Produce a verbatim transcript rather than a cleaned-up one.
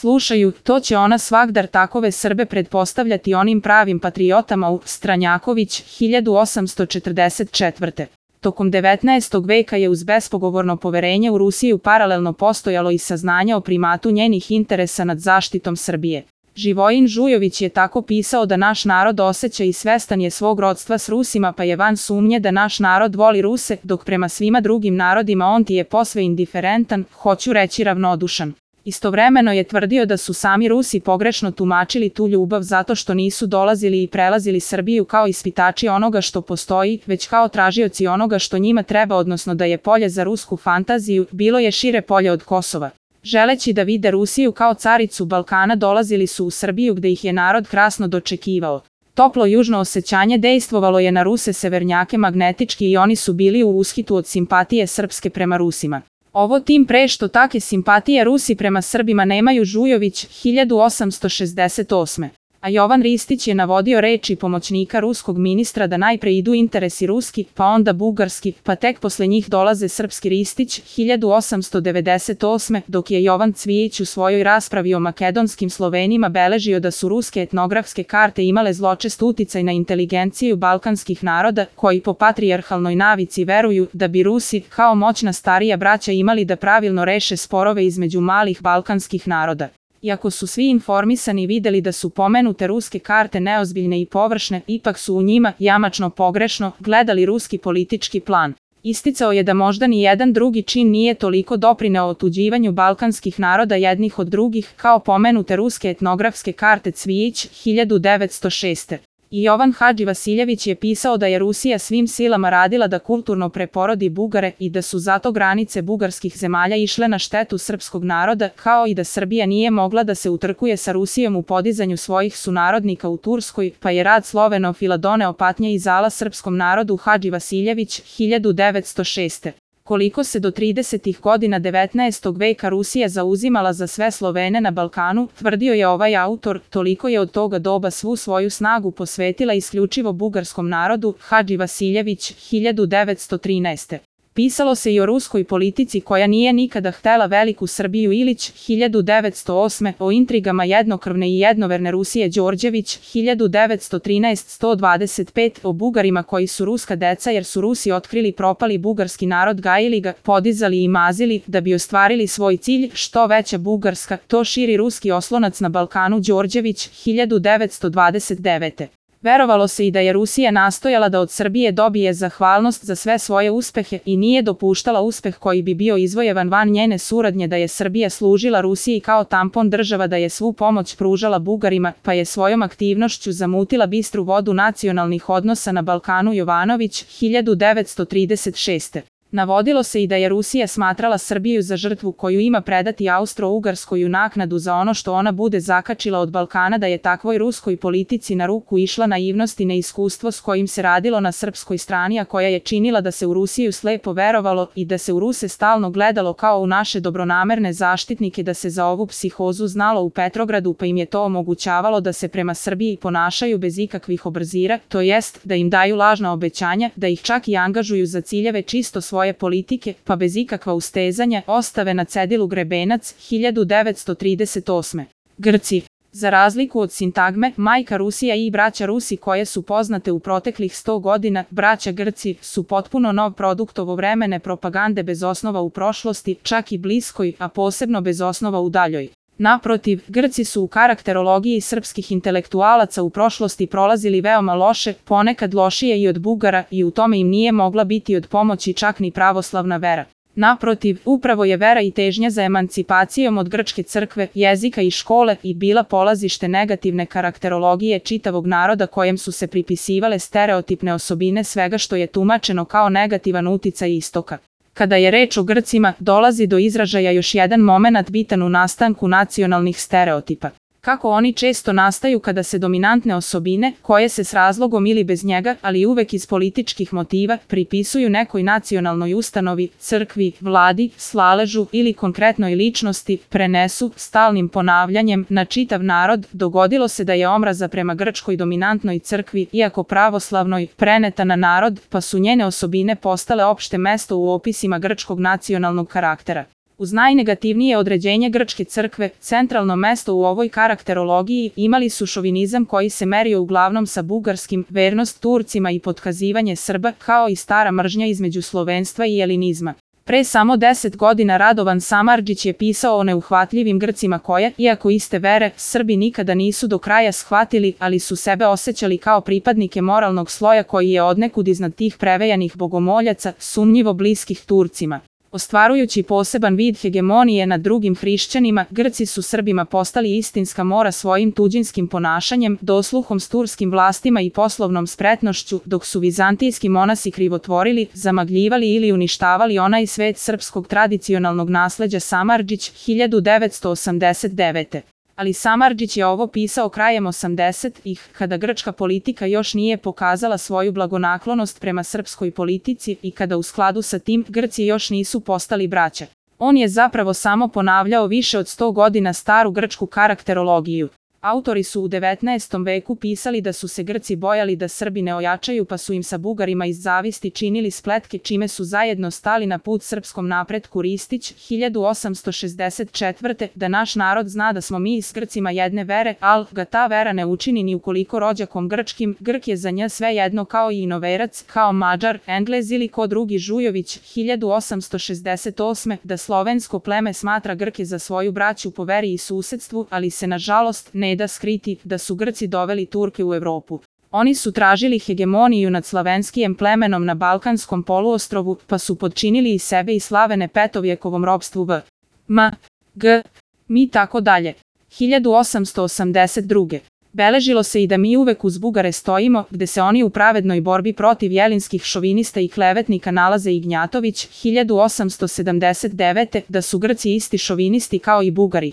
Slušaju, to će ona svagdar takove Srbe pretpostavljati onim pravim patriotama u Stranjaković, hiljadu osamsto četrdeset četvrte. Tokom devetnaestog veka je uz bespogovorno poverenje u Rusiju paralelno postojalo i saznanje o primatu njenih interesa nad zaštitom Srbije. Živojin Žujović je tako pisao da naš narod osjeća i svestan je svog rodstva s Rusima, pa je van sumnje da naš narod voli Ruse, dok prema svima drugim narodima on ti je posve indiferentan, hoću reći ravnodušan. Istovremeno je tvrdio da su sami Rusi pogrešno tumačili tu ljubav zato što nisu dolazili i prelazili Srbiju kao ispitači onoga što postoji, već kao tražioci onoga što njima treba, odnosno da je polje za rusku fantaziju, bilo je šire polje od Kosova. Želeći da vide Rusiju kao caricu Balkana, dolazili su u Srbiju gde ih je narod krasno dočekivao. Toplo južno osjećanje dejstvovalo je na Ruse severnjake magnetički i oni su bili u ushitu od simpatije srpske prema Rusima. Ovo tim pre što take simpatije Rusi prema Srbima nemaju. Žujović, hiljadu osamsto šezdeset osme. A Jovan Ristić je navodio reči pomoćnika ruskog ministra da najpre idu interesi ruski, pa onda bugarski, pa tek posle njih dolaze srpski. Ristić, hiljadu osamsto devedeset osme, dok je Jovan Cvijić u svojoj raspravi o makedonskim Slovenima beležio da su ruske etnografske karte imale zločest uticaj na inteligenciju balkanskih naroda, koji po patrijarhalnoj navici veruju da bi Rusi, kao moćna starija braća, imali da pravilno reše sporove između malih balkanskih naroda. Iako su svi informisani videli da su pomenute ruske karte neozbiljne i površne, ipak su u njima, jamačno pogrešno, gledali ruski politički plan. Isticao je da možda ni jedan drugi čin nije toliko doprineo otuđivanju balkanskih naroda jednih od drugih, kao pomenute ruske etnografske karte. Cvijić, hiljadu devetsto šeste. I Jovan Hadživasiljević je pisao da je Rusija svim silama radila da kulturno preporodi Bugare i da su zato granice bugarskih zemalja išle na štetu srpskog naroda, kao i da Srbija nije mogla da se utrkuje sa Rusijom u podizanju svojih sunarodnika u Turskoj, pa je rad slovenofila doneo patnje i zala srpskom narodu. Hadživasiljević, hiljadu devetsto šeste. Koliko se do tridesetih godina devetnaestog veka Rusija zauzimala za sve Slovene na Balkanu, tvrdio je ovaj autor, toliko je od toga doba svu svoju snagu posvetila isključivo bugarskom narodu. Hadživasiljević, hiljadu devetsto trinaeste. Pisalo se i o ruskoj politici koja nije nikada htela veliku Srbiju. Ilić, hiljadu devetsto osme. O intrigama jednokrvne i jednoverne Rusije. Đorđević, hiljadu devetsto trinaeste do sto dvadeset pet. O Bugarima koji su ruska deca jer su Rusi otkrili propali bugarski narod, gajili ga, podizali i mazili, da bi ostvarili svoj cilj, što veća Bugarska, to širi ruski oslonac na Balkanu. Đorđević, hiljadu devetsto dvadeset devete. Verovalo se i da je Rusija nastojala da od Srbije dobije zahvalnost za sve svoje uspehe i nije dopuštala uspeh koji bi bio izvojevan van njene suradnje, da je Srbija služila Rusiji kao tampon država, da je svu pomoć pružala Bugarima, pa je svojom aktivnošću zamutila bistru vodu nacionalnih odnosa na Balkanu. Jovanović, hiljadu devetsto trideset šeste. Navodilo se i da je Rusija smatrala Srbiju za žrtvu koju ima predati Austro-Ugarskoj u naknadu za ono što ona bude zakačila od Balkana, da je takvoj ruskoj politici na ruku išla naivnost i neiskustvo s kojim se radilo na srpskoj strani, a koja je činila da se u Rusiju slepo verovalo i da se u Ruse stalno gledalo kao u naše dobronamerne zaštitnike, da se za ovu psihozu znalo u Petrogradu, pa im je to omogućavalo da se prema Srbiji ponašaju bez ikakvih obrzira, to jest da im daju lažna obećanja, da ih čak i angažuju za ciljeve čisto svoje politike, pa bez ikakva ustezanja ostave na cedilu Grebenac. hiljadu devetsto trideset osme. Grci. Za razliku od sintagme majka Rusija i braća Rusi koje su poznate u proteklih sto godina, braća Grci su potpuno nov produkt ovovremene propagande bez osnova u prošlosti, čak i bliskoj, a posebno bez osnova u daljoj. Naprotiv, Grci su u karakterologiji srpskih intelektualaca u prošlosti prolazili veoma loše, ponekad lošije i od Bugara, i u tome im nije mogla biti od pomoći čak ni pravoslavna vera. Naprotiv, upravo je vera i težnja za emancipacijom od grčke crkve, jezika i škole i bila polazište negativne karakterologije čitavog naroda kojem su se pripisivale stereotipne osobine svega što je tumačeno kao negativan uticaj istoka. Kada je reč o Grcima, dolazi do izražaja još jedan momenat bitan u nastanku nacionalnih stereotipa. Kako oni često nastaju kada se dominantne osobine, koje se s razlogom ili bez njega, ali uvek iz političkih motiva, pripisuju nekoj nacionalnoj ustanovi, crkvi, vladi, slaležu ili konkretnoj ličnosti, prenesu, stalnim ponavljanjem, na čitav narod. Dogodilo se da je omraza prema grčkoj dominantnoj crkvi, iako pravoslavnoj, preneta na narod, pa su njene osobine postale opšte mesto u opisima grčkog nacionalnog karaktera. Uz najnegativnije određenje grčke crkve, centralno mesto u ovoj karakterologiji imali su šovinizam koji se merio uglavnom sa bugarskim, vernost Turcima i potkazivanje Srba, kao i stara mržnja između slovenstva i elinizma. Pre samo deset godina Radovan Samardžić je pisao o neuhvatljivim Grcima koje, iako iste vere, Srbi nikada nisu do kraja shvatili, ali su sebe osjećali kao pripadnike moralnog sloja koji je odnekud iznad tih prevejanih bogomoljaca, sumnjivo bliskih Turcima. Ostvarujući poseban vid hegemonije nad drugim hrišćanima, Grci su Srbima postali istinska mora svojim tuđinskim ponašanjem, dosluhom s turskim vlastima i poslovnom spretnošću, dok su vizantijski monasi krivotvorili, zamagljivali ili uništavali onaj svet srpskog tradicionalnog nasleđa. Samardžić, hiljadu devetsto osamdeset devete. Ali Samardžić je ovo pisao krajem osamdesetih, kada grčka politika još nije pokazala svoju blagonaklonost prema srpskoj politici i kada u skladu sa tim Grci još nisu postali braća. On je zapravo samo ponavljao više od sto godina staru grčku karakterologiju. Autori su u devetnaestom veku pisali da su se Grci bojali da Srbi ne ojačaju pa su im sa Bugarima iz zavisti činili spletke čime su zajedno stali na put srpskom napretku. Ristić, hiljadu osamsto šezdeset četvrte. Da naš narod zna da smo mi s Grcima jedne vere, al ga ta vera ne učini ni ukoliko rođakom grčkim, Grk je za nj sve jedno kao i inoverac, kao Mađar, Englez ili ko drugi. Žujović, hiljadu osamsto šezdeset osme. Da slovensko pleme smatra Grke za svoju braću po veri i susedstvu, ali se nažalost ne da skriti da su Grci doveli Turke u Evropu. Oni su tražili hegemoniju nad slavenskijem plemenom na Balkanskom poluostrovu, pa su podčinili i sebe i Slavene petovjekovom ropstvu v. M. G. Mi tako dalje. hiljadu osamsto osamdeset druge. Beležilo se i da mi uvek uz Bugare stojimo, gde se oni u pravednoj borbi protiv jelinskih šovinista i klevetnika nalaze. Ignjatović, hiljadu osamsto sedamdeset devete. Da su Grci isti šovinisti kao i Bugari.